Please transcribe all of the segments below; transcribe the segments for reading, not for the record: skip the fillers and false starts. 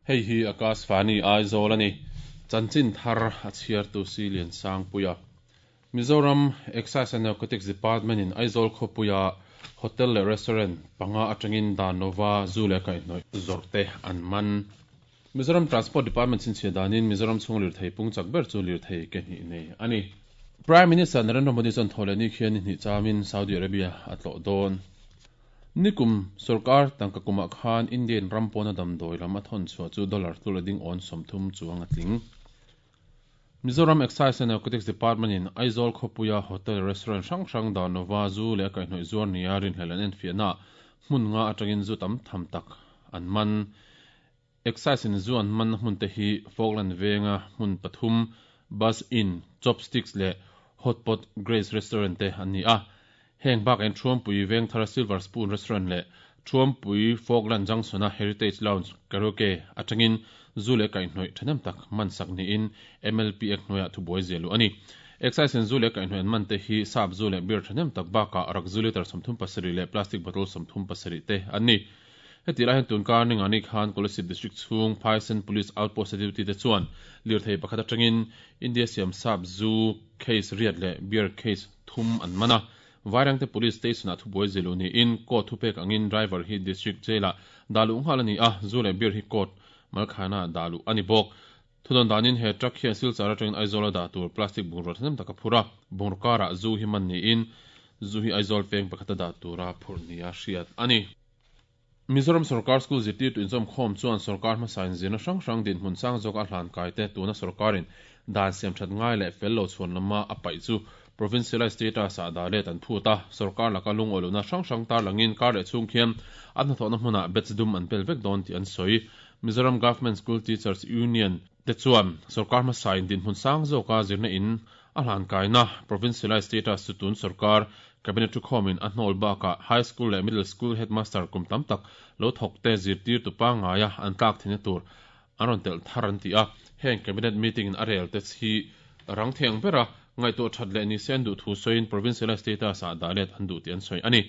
Hei hi Akashvani Aizawl a ni. Chanchin thar a chhiartu si Liansangpuia. Mizoram Excise and Narcotics Department in Aizawl khawpuia hotel leh restaurant panga atangin dan lova zu leh kaihhnawih zawrh te an man. Mizoram Transport Department chhinchhiah danin Mizoram chhung lirthei pung chak ber chu lirthei ke hnih nei a ni. Prime Minister Narendra Modi chuan thaw leh ni khian ni hnih chamin Saudi Arabia a tlawh dawn. Nikum sorkar tangka kumah khan Indian ram pawna damdawi lam a thawn chhuah chu dollar tlul a ding awn 30 chuang a tling. Mizoram Excise and Narcotics Department in Aizawl khawpuia hotel restaurant hrang hrang dan lova zu leh a kaihhnawih zuar nia rinhlelh an enfiahnaah hmun nga atangin zu tam tham tak an man. Excise in zu an manna hmun te hi Falkland venga hmun pathum, Bus Inn, Chopsticks leh Hot Pot Grace Restaurant te an ni a. Heng bakah hian Thuampui Vengthar Silver Spoon Restaurant leh Thuampui Falkland Junction-a Heritage Lounge Karaoke atangin zu leh kaihhnawih thahnem tak man sak niin MLP Act hnuaiah thubuai ziah luh a ni. Excise in zu leh kaihhnawih an man te hi sap zu leh beer thahnem tak bakah rak zu litre 37 leh plastic bottle 37 te an ni. Heti lai hian tunkar Ningani khan Kolasib District chhung Phaisen Police Outpost a duty te chuan lirthei pakhat atangin India siam sap zu case riat leh beer case thum an man a. Vairangte Police Station ah thubuai zilu niin court thupek angin driver hi District Jail ah dah luh nghal a ni a, zu leh beer hi court malkhaina ah dah luh a ni bawk. Thudawn danin he truck hian Silchar atangin Aizawl a dah tur plastic bungraw thahnem tak a phur a, bungraw karah zu hi man niin zu hi Aizawl peng pakhat a dah tura phurh nia hriat a ni. Mizoram Sorkar School zirtirtu inzawmkhawm chuan sorkar hmasa inzirna hrang hrang dinhmun sang zawka a hlan kai te tuna sorkarin dan siam that ngai leh fel lo chhuan lama a paih chu provincialized status ah dah let an phut a, sorkar laka lungawilohna hrang hrang tarlangin kar leh chhung khian an hnathawhna hmunah batch dum an pel vek dawn tih an sawi. Mizoram Government School Teachers Union te chuan sorkar hmasa in dinhmun sang zawka zirna in a hlan kaina provincialized status chu tun sorkar Cabinet thukhawmin a hnawl bakah High School leh Middle School Headmaster kum tam tak lo thawkte zirtirtu pangngaia an tlak theihna tur an rawn telh thar an ti a. Heng Cabinet meeting in a rel te hi rang thei ang bera ngaihtuah that leh nise an duh thu sawiin provincialized status ah dah let an duh tih an sawi a ni.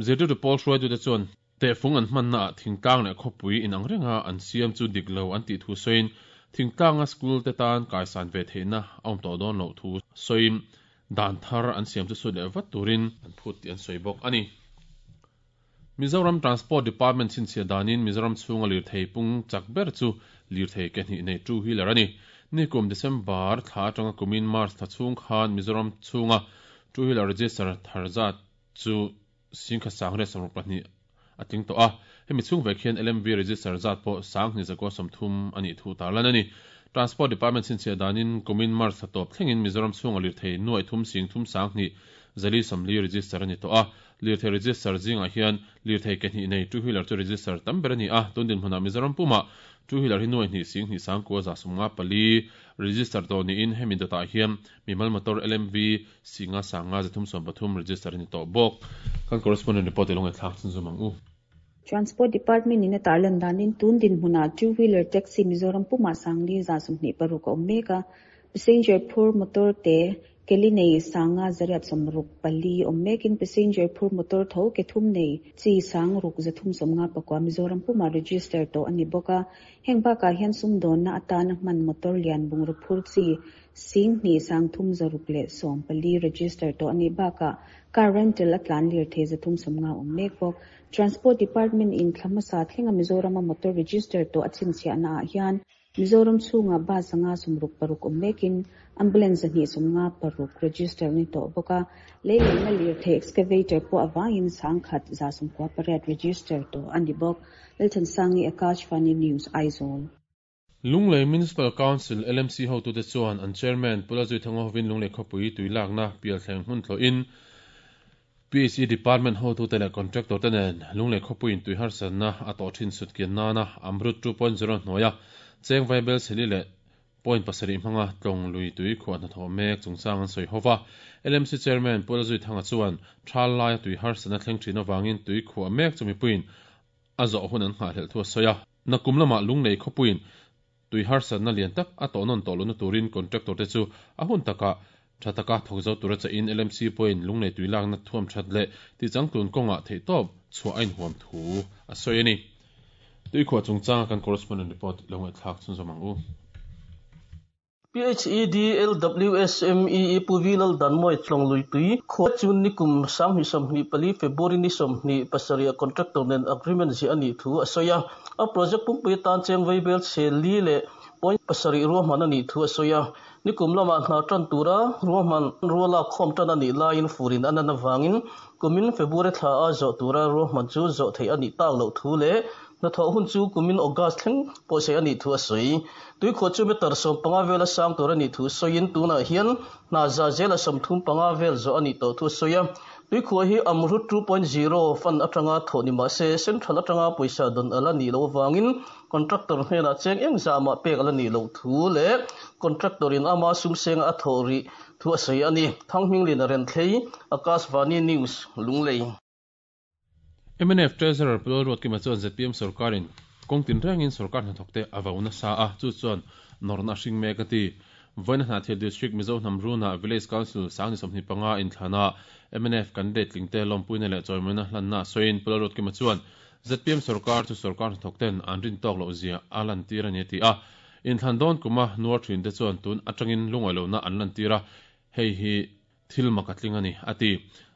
Zirtirtu pawl hruaitute chuan tehfung an hmannaah thingtlang leh khawpui inang renga an siam chu dik lo an tih thu sawiin thingtlanga school te tan kaisan ve theihna a awm tawh dawn loh thu sawiin dan thar an siam chu sut leh vat turin an phut tih an sawi bawk a ni. Mizoram Transport Department chhinchhiah danin Mizoram chhunga lirthei pung chak ber chu lirthei ke hnih nei two wheeler a ni. Nikum December thla atanga kumin March thla chhung khan Mizoram chhunga two wheeler register thar zat chu singkhat sang riat 62 a tling tawh a, hemi chhung vek hian LMV register zat pawh 2130 a nih thu tarlan a ni. Transport Department chhinchhiah danin kumin March thla tawp thlengin Mizoram chhunga lirthei nuaih thum sing thum sang hnih zali sawmli register a ni tawh a, lirthei register zingah hian lirthei ke hnih nei two wheeler chu register tam ber a ni a, tun dinhmunah Mizoram pumah two wheeler hi nuaih hnih sing hnih sang kua za 54 register tawh niin hemi dawtah hian mimal motor LMV Singa Sanga 313 register a ni tawh bawk. Kan correspondent report i lo ngaihthlak chhun zum ang u. Transport Department in a tarlan danin tun dinhmunah two wheeler taxi Mizoram pumah Sangli 26 a awm mek a, passenger phur motor te keli nei Sanga 864 awm mekin passenger phur motor tho ke thum nei chi Sangruk 359 Mizoram pumah register tawh a ni bawk a. Heng bakah hian sumdawnna atana hman motor lian bungraw phur chi Sing hnih sang thum zaruk leh 14 register tawh a nih bakah car rental a tlan lirthei 350 awm mek bawk. Transport Department in thla hmasa thlenga Mizorama motor register tawh a chhinchhiahna ah hian Mizoram chhungah bus 166 awm mekin ambulance 256 register ni tawh bawk a, lei leina lirthei excavator pawh avangin 198 register tawh a ni bawk. Lalthansangi Akashvani News, Aizawl. Lunglei Municipal Council, LMC, hotute chuan an Chairman Pu Lalzuithanga hovin Lunglei khawpui tui lakna pialthleng hmun thlawhin PHE Department hotute leh contractor te nen Lunglei khawpuiin tui harsatna a tawh thin sut kian nana Amrut 2.0 hnuaia cheng vaibel chheli leh point pasarih hmanga tlawng lui tui khuah hnathawh mek chungchang an sawi hova. LMC Chairman Pu Lalzuithanga chuan thal laia tui harsatna thleng thin avangin tui khuah mek chu mipuiin a zawh hun an nghahhlelh thu a sawi a. Nakum lamah Lunglei khawpuiin tui harsatna lian tak a tawh nawn tawh lohna turin contractor te chu a hun takah Tha taka thawk zo tura chahin LMC pawhin lunglei tui lakna thuam that leh tichangtlun kawngah theihtawp chhuah a inhuam thu a sawi a ni. Tuikhuah chungchanga kan correspondent report lo ngaihthlak chhunzawm ang u. PHEDLWSMEE Pu V Laldanmawia Tlawngluipui khua chu nikum 2024 February ni 27 ah contractor nen agreement ziah a nih thu a sawi a. A project pumpui atan cheng vaibel chhe li leh point pasarih ruahman a nih thu a sawi a. Nikum lamah hna tan tura ruahman ruala khawm tan a nih laiin furin a nan avangin kumin February thla a zawh tura ruahman chu zawh theih a nih tak loh thu leh hnathawh hun chu kumin August thleng pawhsei a nih thu a sawi. Tuikhuah chu meter 15 vela sang tur a nih thu sawiin tunah hian hna za zela 35 vel zawh a nih tawh thu a sawi a. Tuikhuah hi Amrut 2.0 fund atanga thawh ni mah se Central atanga pawisa dawn a la nih loh avangin Contractor hnenah cheng eng zah mah pek a la nih loh thu leh Contractor in ama sumsenga a thawh rih thu a sawi a ni. Thanghminglin a renthlei, Akashvani News, Lunglei. Mnf Treasurer Pu Lalruatkima chuan zpm sorkarin kawng tinrengin sorkar hnathawkte a vau nasa a, chu chuan nawrhna a hring mek a ti. Vawiina Hnahthial District Mizo hnam runa Village Council 2025 inthlanah mnf candidate tlingte lawmpuina leh chawimawina hlanna sawiin Pu Lalruatkima chuan zpm sorkar chu sorkar hnathawkten an rin tawk loh zia a lantir a ni a ti a. Inthlan dawn kuma nuar thinte chuan tun atangin lungawi lohna an lantir a, hei hi thil mak a tling a ni, a ti.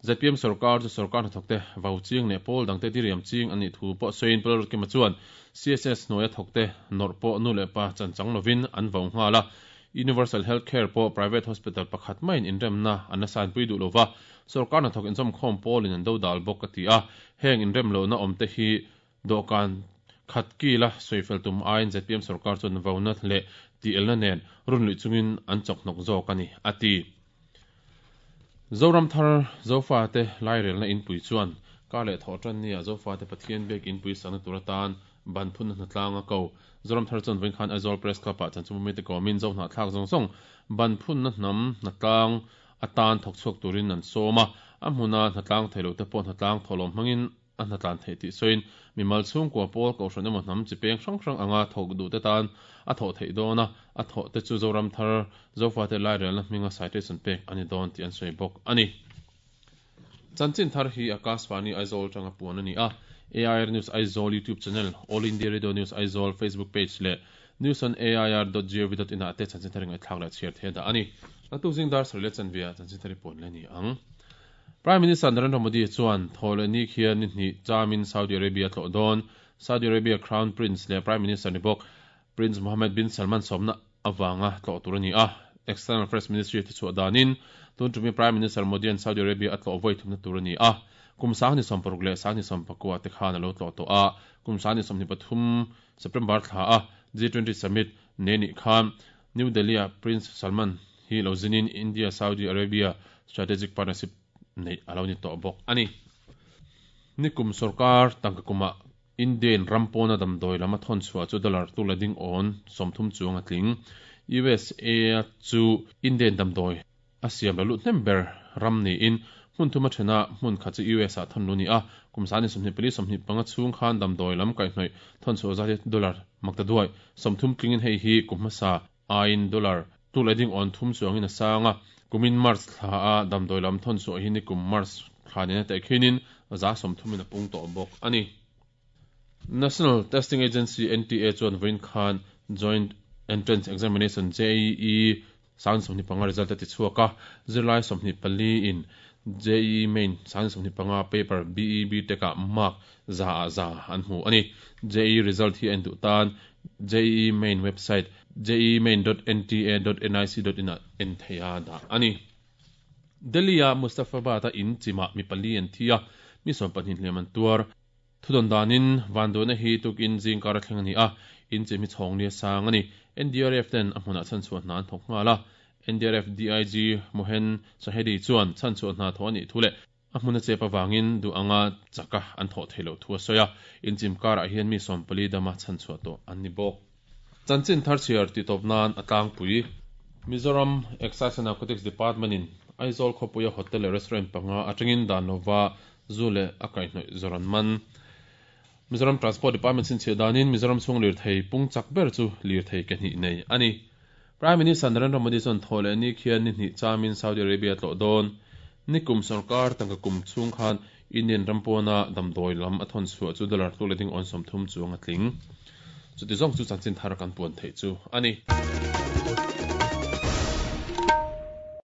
Zpm sorkar chu sorkar hnathawkte vau ching leh pawl dangte diriam ching an nih thu pawh sawiin Pu Lalrutkima chuan CSS hnuaia thawkte nawrh pawh nu leh pa chanchang lovin an vau nghal a, Universal Health Care pawh private hospital pakhat maiin inremna an la sainpui duh lova, sorkar hnathawk inzawmkhawm pawlin an dodal bawk a ti a, heng inrem lohna awmte hi dawhkan khat kila sawifel tum aiin zpm sorkar chuan vauna leh tielna nen runluih chungin an chawkhnawk zawk a ni, a ti. Zoram thar Zofate lairelna inpui chuan kar leh thawh tan nia Zofate Pathian biak inpui sakna tur atan ban phunna hnatlang a ko. Zoram thar chuan vawiin khan Aizawl Press Club-ah chanchimawmite kawmin Zohnahthlak zawng zawng ban phunna hnam hnatlang atan thawk chhuak turin an sawm a, a hmuna hnatlang thei lote pawh hnatlang thawhlawm hmangin a hnatlan theih tih sawiin mimal chhungkua pawl kohhran emaw hnam chi peng hrang hrang anga thawk duhte tan a thawh theih dawn a, a thawh te chu Zoram thar Zofate lairelna hminga citation pek a ni dawn tih an sawi bawk a ni. Chanchin thar hi Akashvani Aizawl atanga puan a ni a, AIR News Aizawl YouTube channel, All India Radio News Aizawl Facebook page leh newsonair.gov.in ah te chanchin thar i ngaihthlak leh chhiar thei a dah a ni. Naktuk zing dar sarih leh chanve ah chanchin thar i puan leh a ni ang. Prime Minister Narendra Modi chuan thawhleh ni khian ni hnih chamin Saudi Arabia a tlawh dawn. Saudi Arabia Crown Prince leh Prime Minister ni bawk Prince Mohammed bin Salman sawmna avanga tlawh tur a ni a. External Affairs Ministry a thichhuah danin tun tumi Prime Minister Modi-a'n Saudi Arabia a tlawh vawi thumna tur a ni a. Kum 2060 leh 2019 te khan a lo tlawh tawh a. Kum 2023 September thla a G20 Summit nei nih khan New Delhi-ah Prince Salman hi lo zinin India-Saudi Arabia Strategic Partnership neih a lo ni tawh bawk a ni. Nikum sorkar tangka kumah Indian ram pawna damdawi lam a thawn chhuah chu dollar tu la ding awn 30 chuang a tling. USA chu Indian damdawi a siam la lut hnem ber ram niin hmun thuma thena hmun khat chu US ah thawn lu ni a, kum 24 25 chhung khan damdawi lam kaihhnawih thawn chhuah zat hi dollar makta duai 30 tlingin hei hi kum hmasa aiin dollar tu leh ding awn thum chuangin a sang a, kumin March thla a damdawi lam thawn chhuah hi nikum March thla nena tehkhinin 30% in a pung tawh bawk a ni. National Testing Agency, NTA, chuan vawiin khan Joint Entrance Examination, JEE, 25 result a ti chhuak a, zirlai 24 in JEE Main 25 paper BE BTech ah mark za ah za an hmu a ni. JEE result hi a en duh tan JEE Main website jeemain.nta.nic.in ah en theih a dah a ni. Delhi-a Mustafabad-a in chimah mi pali an thi a, mi 20 hliam an tuar. Thudawn danin vanduaina hi tukin zingkar a thleng a ni a, in chim hi chhawng nia sang a ni. NDRF ten a hmunah chhanchhuah hna an thawk nghal a, NDRF DIG Mohen Shahedi chuan chhanchhuah hna thawh a nih thu leh a hmun a chep avangin duh anga chaka an thawh theih loh thu a sawi a, in chim karah hian mi 14 dama chhanchhuah tawh an ni bawk. Chanchin thar chhiar tih tawp nan a tlangpui. Mizoram Excise and Narcotics Department in Aizawl khawpuia hotel leh restaurant panga atangin dan lova zu leh a kaihhnawih zawr an man. Mizoram Transport Department chhinchhiah danin Mizoram chhung lirthei pung chak ber chu lirthei ke hnih nei a ni. Prime Minister Narendra Modi chuan Thawhlehni khian ni hnih chamin Saudi Arabia a tlawh dawn. Nikum sorkar tangka kum chhung khan Indian ram pawna damdawi lam a thawn chhuah chu dollar tluk leh ding awn 30 chuang a tling. Chuti zawng chu chanchin thar kan puan theih chu a ni.